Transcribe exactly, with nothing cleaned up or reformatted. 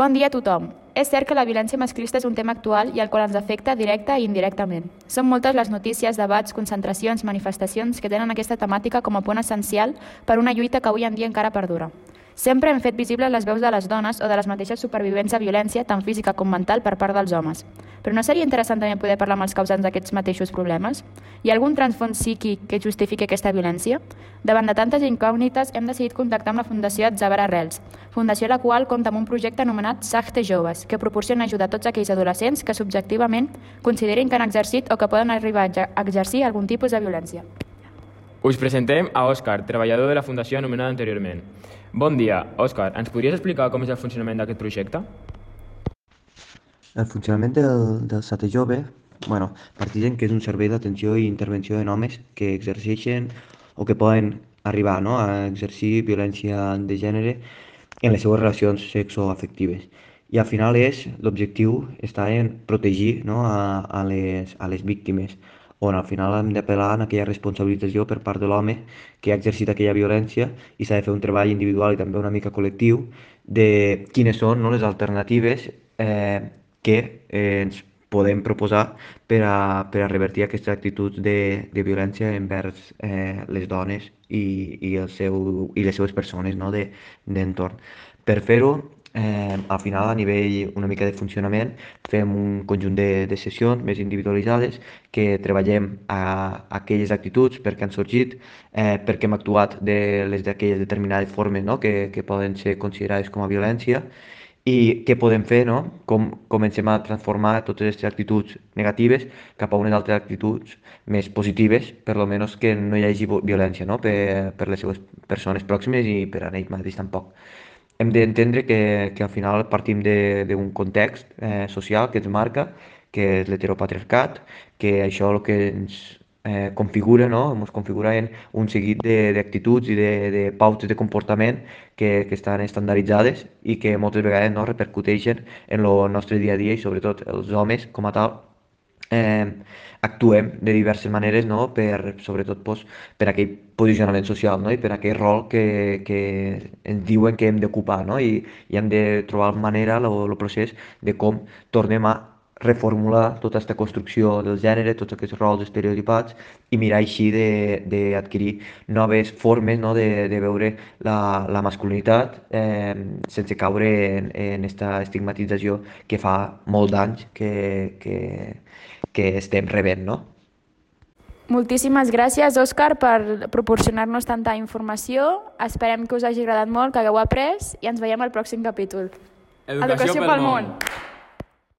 Bon dia a tothom. És cert que la violència masclista és un tema actual i al qual ens afecta directa i indirectament. Són moltes les notícies, debats, concentracions, manifestacions que tenen aquesta temàtica com a punt essencial per una lluita que avui en dia encara perdura. Sempre hem fet visibles les veus de les dones o de les mateixes supervivents de violència, tant física com mental, per part dels homes. Però no seria interessant també poder parlar amb els causants d'aquests mateixos problemes? Hi ha algun transfons psíquic que justifiqui aquesta violència? Davant de tantes incògnites, hem decidit contactar amb la Fundació Atzabar Arrels, fundació la qual compta amb un projecte anomenat Sagte Joves, que proporciona ajuda a tots aquells adolescents que subjectivament considerin que han exercit o que poden arribar a exercir algun tipus de violència. Us presentem a Òscar, treballador de la fundació anomenada anteriorment. Bon dia, Òscar, ens podries explicar com és el funcionament d'aquest projecte? El funcionament del, del Sagte Jove, bueno, partint que és un servei d'atenció i intervenció en homes que exerceixen o que poden arribar, no?, a exercir violència de gènere en les seues relacions sexoafectives. I al final és, l'objectiu està en protegir, no?, a, a, les, a les víctimes, on al final hem d'apel·lar a aquella responsabilització per part de l'home que ha exercit aquella violència i s'ha de fer un treball individual i també una mica col·lectiu de quines són, no?, les alternatives eh, que eh, ens podem proposar per a, per a revertir aquestes actituds de, de violència envers eh, les dones i, i, el seu, i les seues persones, no?, de, d'entorn. Per fer-ho, eh, al final, a nivell una mica de funcionament, fem un conjunt de, de sessions més individualitzades que treballem a, a aquelles actituds, per què han sorgit, eh, per què hem actuat de les d'aquelles determinades formes, no?, que, que poden ser considerades com a violència, i què podem fer, no?, com comencem a transformar totes aquestes actituds negatives cap a unes altres actituds més positives, per almenys que no hi hagi violència, no?, per, per les seves persones pròximes i per a ells mateix tampoc. Hem d'entendre que, que al final partim d'un context eh, social que ens marca, que és l'heteropatriarcat, que això el que ens eh, configura, no?, ens configura en un seguit d'actituds i de, de pautes de comportament que, que estan estandarditzades i que moltes vegades, no?, repercuteixen en el nostre dia a dia i sobretot els homes com a tal eh, actuem de diverses maneres, no?, per, sobretot pues, per aquell posicionament social, no?, i per aquell rol que, que ens diuen que hem d'ocupar, no?, I, i hem de trobar manera, el procés de com tornem a reformular tota aquesta construcció del gènere, tots aquests rols estereotipats i mirar així d'adquirir noves formes, no?, de, de veure la, la masculinitat eh, sense caure en aquesta estigmatització que fa molt d'anys que, que, que estem rebent, no? Moltíssimes gràcies, Òscar, per proporcionar-nos tanta informació. Esperem que us hagi agradat molt, que hagueu après i ens veiem al pròxim capítol. Educació, Educació pel, pel món! món.